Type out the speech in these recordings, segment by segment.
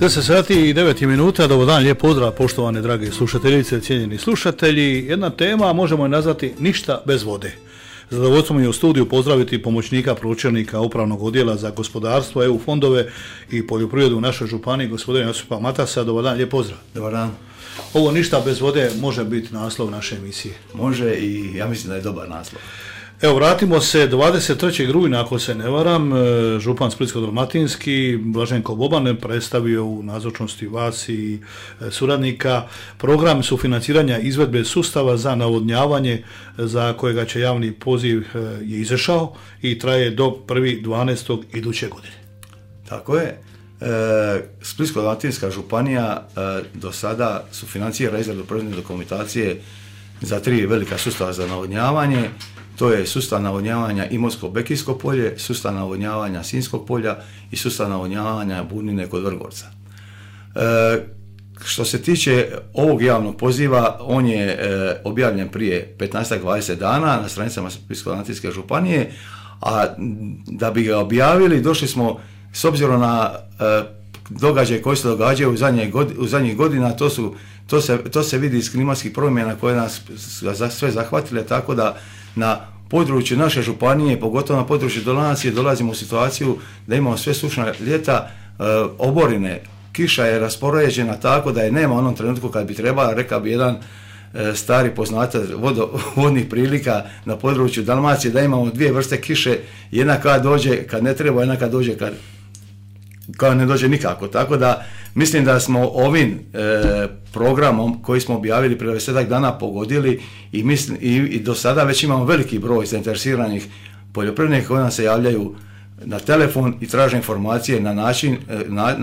10 sati i 9 minuta, dobar dan, lijep pozdrav poštovane drage slušateljice, cijenjeni slušatelji. Jedna tema možemo je nazvati ništa bez vode. Zadovoljstvo mi je u studiju pozdraviti pomoćnika pročelnika Upravnog odjela za gospodarstvo, EU fondove i poljoprivredu u našoj županiji, gospodina Josipa Matasa. Dobar dan, lijep pozdrav. Dobar dan. Ovo ništa bez vode može biti naslov naše emisije. Može i ja mislim da je dobar naslov. Evo, vratimo se 23. rujna, ako se ne varam, župan Splitsko-dalmatinski Blaženko Boban predstavio u nazočnosti vas i suradnika program sufinanciranja izvedbe sustava za navodnjavanje za kojega će javni poziv je izašao i traje do 1.12. iduće godine. Tako je. Splitsko-dalmatinska županija do sada sufinancira izradu projektne dokumentacije za 3 velika sustava za navodnjavanje. To je sustav navodnjavanja Imotsko-Bekijsko polje, sustav navodnjavanja Sinjskog polja i sustav navodnjavanja Burnine kod Vrgorca. Što se tiče ovog javnog poziva, on je objavljen prije 15-20 dana na stranicama Splitsko-dalmatinske županije, a da bi ga objavili došli smo, s obzirom na događaje koji se događaju u zadnjih godina, to se vidi iz klimatskih promjena koje nas sve zahvatile, tako da na području naše županije, pogotovo na području Dalmacije, dolazimo u situaciju da imamo sve sušna ljeta, oborine, kiša je raspoređena tako da je nema u onom trenutku kad bi trebala, rekao bi jedan stari poznatac vodnih prilika na području Dalmacije, da imamo 2 vrste kiše, jedna kad dođe kad ne treba, jedna kad dođe kad ne dođe nikako. Tako da mislim da smo ovim programom koji smo objavili prije 10 dana pogodili i do sada već imamo veliki broj zainteresiranih poljoprivrednika koji nam se javljaju na telefon i traže informacije na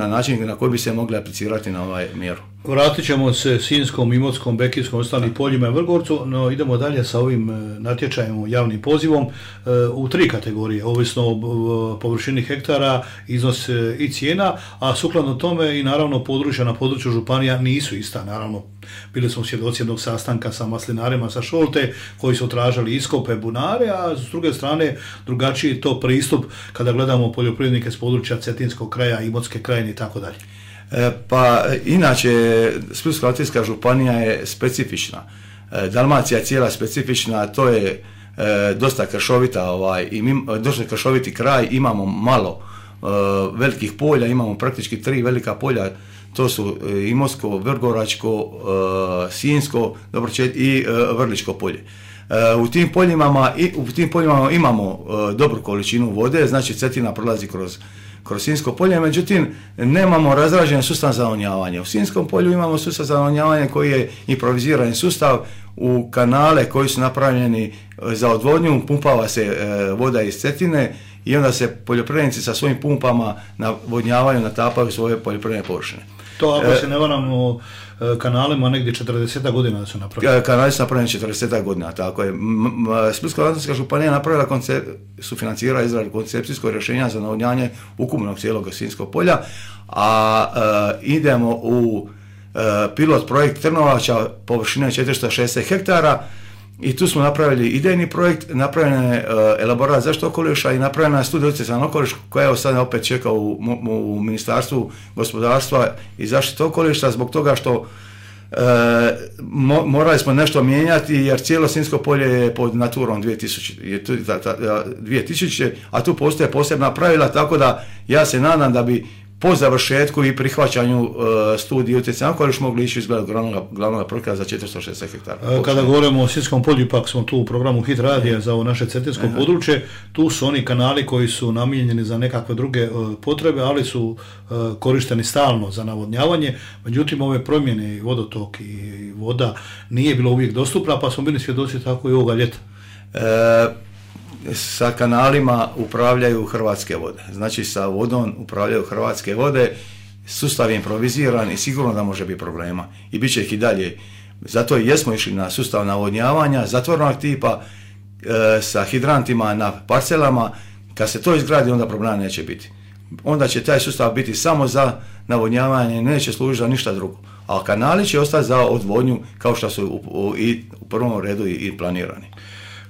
način na koji bi se mogli aplicirati na ovaj mjeru. Vratit ćemo se Sinjskom, Imotskom, Bekijskom, ostalim poljima i Vrgorcu, no idemo dalje sa ovim natječajem, javnim pozivom u 3 kategorije, ovisno o površini hektara, iznos i cijena, a sukladno tome i naravno područja na području županija nisu ista. Naravno, bili smo svjedoci jednog sastanka sa maslinarima sa Šolte koji su tražili iskope, bunare, a s druge strane drugačiji to pristup kada gledamo poljoprivrednike s područja Cetinskog kraja, Imotske krajine i tako dalje. Pa inače Splitsko-dalmatinska županija je specifična. Dalmacija je cijela specifična, to je dosta dosta kršoviti kraj, imamo malo velikih polja, imamo praktički 3 velika polja, to su Imotsko, Vrgoračko, Sinjsko i Vrličko polje. U tim poljima imamo dobru količinu vode, znači Cetina prolazi kroz Sinjsko polje, međutim nemamo razrađen sustav za navodnjavanje. U Sinjskom polju imamo sustav za navodnjavanje koji je improvizirani sustav, u kanale koji su napravljeni za odvodnju pumpava se voda iz Cetine i onda se poljoprivrednici sa svojim pumpama navodnjavaju, natapaju svoje poljoprivredne površine. To ako se ne varam kanalima negdje 40 godina su napravljeni. Kanali su napravljeni 40 godina, tako je. Splitsko-dalmatinska županija napravila sufinancira izradu koncepcijskog rješenja za navodnjavanje ukupnog cijelog Sinjskog polja, a idemo u pilot projekt Trnovača površine 460 hektara i tu smo napravili idejni projekt, napravljen je elaborat zaštite okoliša i napravljena je studija utjecaja na okoliš koja je sada opet čeka u Ministarstvu gospodarstva i zaštite okoliša zbog toga što morali smo nešto mijenjati jer cijelo Sinjsko polje je pod Naturom 2000, a tu postoje posebna pravila, tako da ja se nadam da bi po završetku i prihvaćanju studije utjecaja na okoliš mogli ići izgled glavnog projekta za 460 hektara. Kada govorimo o Sinjskom polju, ipak smo tu u programu Hit radija za ovo naše cetinsko područje, tu su oni kanali koji su namijenjeni za nekakve druge potrebe, ali su korišteni stalno za navodnjavanje, međutim ove promjene i vodotok i voda nije bilo uvijek dostupna, pa smo bili svjedoci tako i ovoga ljeta. Sa kanalima upravljaju Hrvatske vode. Znači sa vodom upravljaju Hrvatske vode, sustav je improviziran i sigurno da može biti problema. I bit će ih i dalje. Zato i jesmo išli na sustav navodnjavanja, zatvorenog tipa, sa hidrantima na parcelama. Kad se to izgradi, onda problema neće biti. Onda će taj sustav biti samo za navodnjavanje, neće služiti za ništa drugo. A kanali će ostati za odvodnju kao što su u prvom redu i planirani.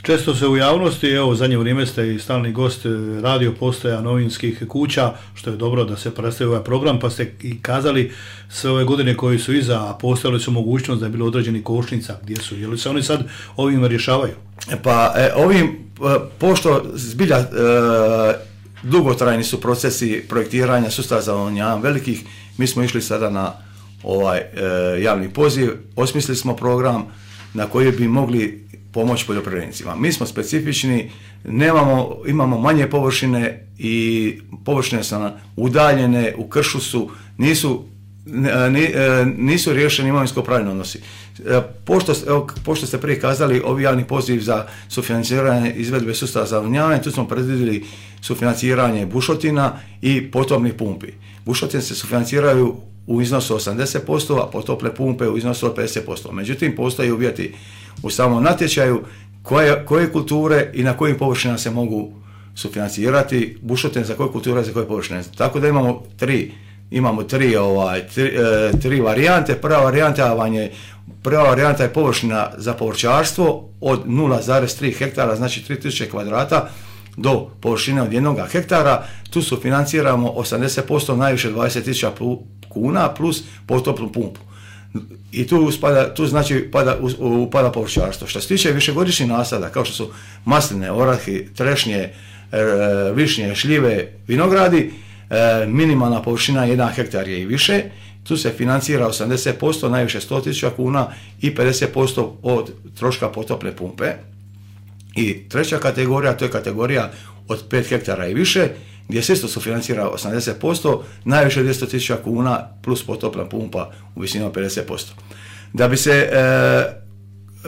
Često se u javnosti, evo zadnje vrijeme ste i stalni gost radio postaja novinskih kuća, što je dobro da se predstavi ovaj program, pa ste i kazali sve ove godine koji su iza, a postojali su mogućnost da je bilo određeni kočnica, gdje su, je li se oni sad ovim rješavaju? Pa ovim, pošto zbilja dugotrajni su procesi projektiranja sustava za navodnjavanje velikih, mi smo išli sada na ovaj javni poziv, osmislili smo program na koji bi mogli pomoći poljoprivrednicima. Mi smo specifični, imamo manje površine i površine su udaljene, u kršu su, nisu riješeni imovinsko-pravni odnosi. Pošto ste prije kazali, ovi javni poziv za sufinanciranje izvedbe sustava za navodnjavanje, tu smo predvidjeli sufinanciranje bušotina i potopnih pumpi. Bušotine se sufinanciraju u iznosu 80%, a potopne pumpe u iznosu od 50%. Međutim, postoje uvjeti u samom natječaju koje kulture i na kojim površinama se mogu sufinancirati, bušotine za koje kulture i za koje površine. Tako da imamo tri varijante. Prva varijanta je površina za povrćarstvo od 0,3 hektara, znači 3000 kvadrata, do površine od 1 hektara. Tu sufinanciramo 80%, najviše 20.000 kuna plus potopnu pumpu. I tu upada povrćarstvo. Što se tiče višegodišnjih nasada, kao što su masline, orahi, trešnje, višnje, šljive, vinogradi, minimalna površina 1 hektar je i više. Tu se financira 80%, najviše 100.000 kuna i 50% od troška potopne pumpe. I treća kategorija, to je kategorija od 5 hektara i više, gdje se isto sufinancira 80%, najviše 200.000 kuna plus potopna pumpa u visini od 50%. Da bi se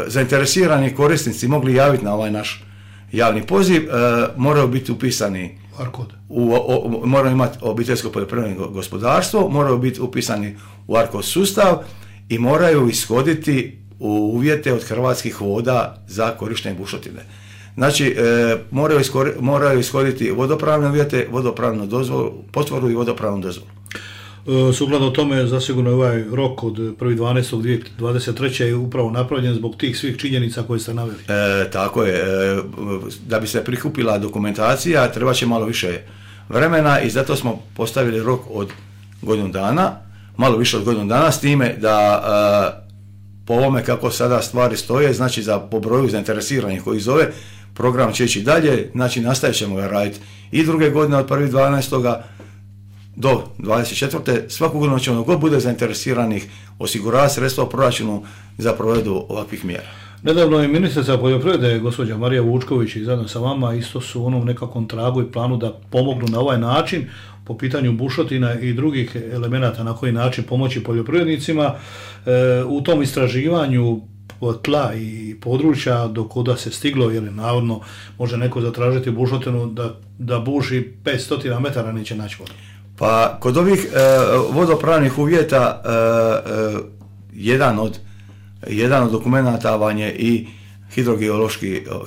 zainteresirani korisnici mogli javiti na ovaj naš javni poziv, moraju biti upisani moraju imati obiteljsko poljoprivredno gospodarstvo, moraju biti upisani u ARKOD sustav i moraju ishoditi uvjete od Hrvatskih voda za korištenje bušotine. Znači, moraju ishoditi vodopravne uvjete, vodopravnu dozvolu, potvrdu i vodopravnu dozvolu. Sukladno tome, zasigurno je ovaj rok od 1.12.2023. je upravo napravljen zbog tih svih činjenica koje ste naveli. Tako je. Da bi se prikupila dokumentacija, treba će malo više vremena i zato smo postavili rok od godinu dana, malo više od godinu dana, s time da po ovome kako sada stvari stoje, znači po broju zainteresiranih koji zove, program će ići dalje, znači nastavit ćemo ga raditi i druge godine od 1.12. do 24. Svaku godinu ćemo god bude zainteresiranih osiguravati sredstva u proračunu za provedbu ovakvih mjera. Nedavno je ministrica poljoprivrede, gospođa Marija Vučković, i zajedno sa vama isto su u onom nekakvom tragu i planu da pomognu na ovaj način po pitanju bušotina i drugih elemenata na koji način pomoći poljoprivrednicima. U tom istraživanju tla i područja do kuda se stiglo, jer navodno može neko zatražiti bušotinu da buši 500 metara, neće naći vodu. Pa kod ovih vodopravnih uvjeta jedan od dokumenta vam je i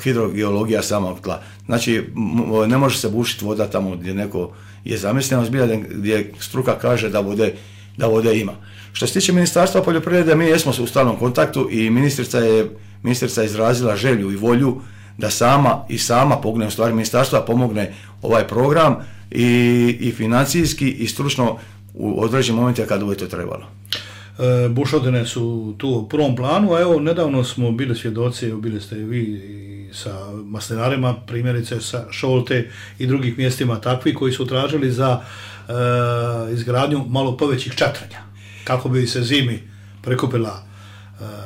hidrogeologija samog tla. Znači, ne može se bušiti voda tamo gdje neko je zamišljeno, zbilja gdje struka kaže da vode ima. Što se tiče Ministarstva poljoprivrede, mi jesmo u stalnom kontaktu i ministrica je izrazila želju i volju da sama pomogne, u stvari ministarstva pomogne ovaj program i financijski i stručno u određenim momentima kada bude to trebalo. Bušotine su tu u prvom planu, a evo nedavno smo bili svjedoci, bili ste vi sa maslinarima, primjerice sa Šolte i drugih mjestima takvi koji su tražili za izgradnju malo povećih čatranja, kako bi se zimi prikupila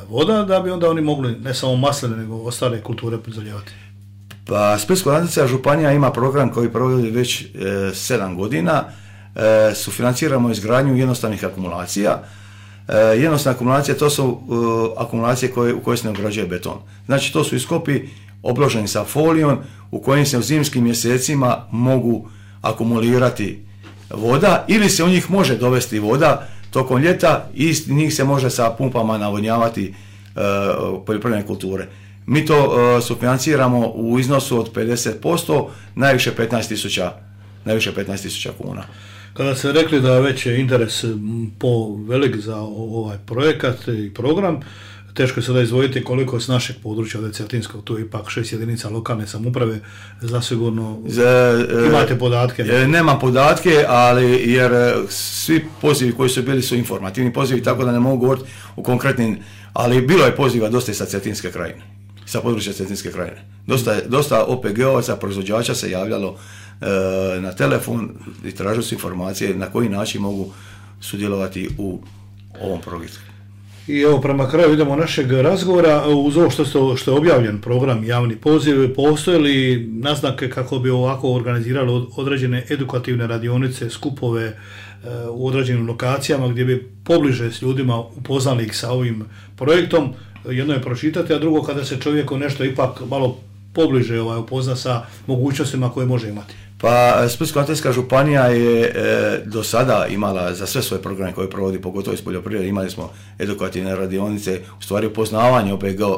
voda, da bi onda oni mogli ne samo masline nego ostale kulture zalijevati. Pa Splitsko-dalmatinska županija ima program koji provodi već 7 godina, sufinanciramo izgradnju jednostavnih akumulacija. Jednostavne akumulacije, to su akumulacije u koje se ne ugrađuje beton. Znači, to su iskopi obloženi sa folijom u kojim se u zimskim mjesecima mogu akumulirati voda ili se u njih može dovesti voda tokom ljeta i njih se može sa pumpama navodnjavati poljoprivredne kulture. Mi to sufinanciramo u iznosu od 50%, najviše 15.000 kuna. Kada ste rekli da već je interes velik za ovaj projekat i program, teško je sada izdvojiti koliko je s našeg područja od Cetinskog, tu je ipak 6 jedinica lokalne samouprave, zasigurno imate podatke? Nemam podatke, ali jer svi pozivi koji su bili su informativni pozivi, tako da ne mogu govoriti o konkretnim, ali bilo je poziva dosta i sa Cetinske krajine, sa područja Cetinske krajine. Dosta OPG-ovaca, proizvođača se javljalo na telefon i tražili su informacije na koji način mogu sudjelovati u ovom projektu. I evo, prema kraju idemo našeg razgovora. Uz ovo što je objavljen program javni poziv, postoje li naznake kako bi ovako organizirali određene edukativne radionice, skupove u određenim lokacijama gdje bi pobliže s ljudima upoznali ih sa ovim projektom? Jedno je pročitati, a drugo kada se čovjeku nešto ipak malo pobliže upozna sa mogućnostima koje može imati. Pa Splitsko-dalmatinska županija je do sada imala za sve svoje programe koje provodi, pogotovo iz poljoprivrede, imali smo edukativne radionice, u stvari upoznavanje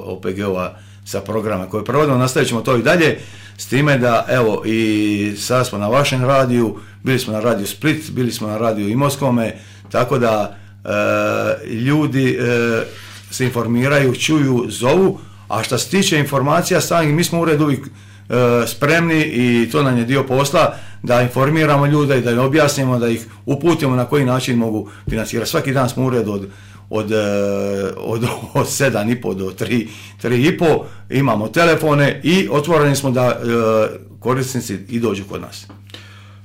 OPG-ova sa programa koje provodimo, nastavit ćemo to i dalje, s time da evo i sada smo na vašem radiju, bili smo na radiju Split, bili smo na radiju Imotskome, tako da ljudi se informiraju, čuju, zovu, a što se tiče informacija samih, mi smo u uredu uvijek spremni i to nam je dio posla da informiramo ljude i da im objasnimo, da ih uputimo na koji način mogu financirati. Svaki dan smo u uredu od 7,5 do 3,5, imamo telefone i otvoreni smo da korisnici i dođu kod nas.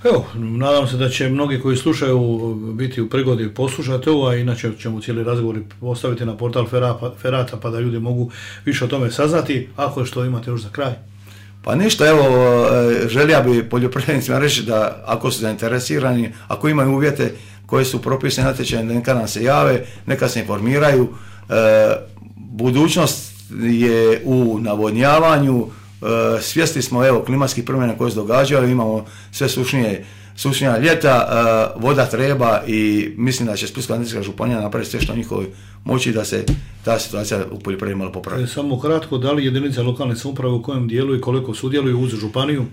Evo, nadam se da će mnogi koji slušaju biti u prigodi poslušati ovo, a inače ćemo cijeli razgovor postaviti na portal Ferata pa da ljudi mogu više o tome saznati. Ako što imate još za kraj? Pa ništa, evo, želja bi poljoprivrednicima reći da ako su zainteresirani, ako imaju uvjete koje su propisane natječajem, neka nam se jave, neka se informiraju. Budućnost je u navodnjavanju, svjesni smo evo klimatskih promjena koje se događaju, imamo sve sušnija ljeta, voda treba i mislim da će Splitsko-dalmatinska županija napraviti sve što njihovoj moći da se ta situacija u poljoprivredi malo popravi. Samo kratko, da li jedinice lokalne samouprave u kojem dijelu i koliko sudjeluju uz županiju?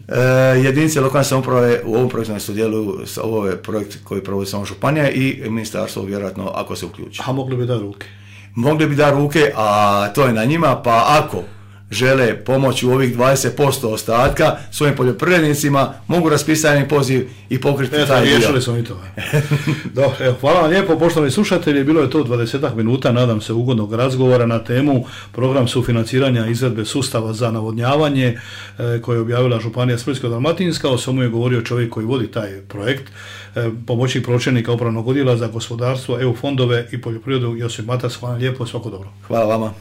Jedinice lokalne samouprave u ovom projektu ne sudjeluju, ovo je projekt koji provodi samo županija i ministarstvo vjerojatno ako se uključi. A mogli bi da ruke? Mogli bi da ruke, a to je na njima, pa ako žele pomoći u ovih 20% ostatka svojim poljoprivrednicima, mogu raspisati poziv i pokriti taj dio. Riješili smo i to. Dobro, evo, hvala vam lijepo, poštovani slušatelji, bilo je to 20 minuta, nadam se ugodnog razgovora na temu program sufinanciranja izvedbe sustava za navodnjavanje koje je objavila županija Splitsko-dalmatinska. O svemu je govorio čovjek koji vodi taj projekt, pomoćnik pročelnika upravnog odjela za gospodarstvo, EU fondove i poljoprivredu Josip Matas. Hvala lijepo, svako dobro. Hvala vama.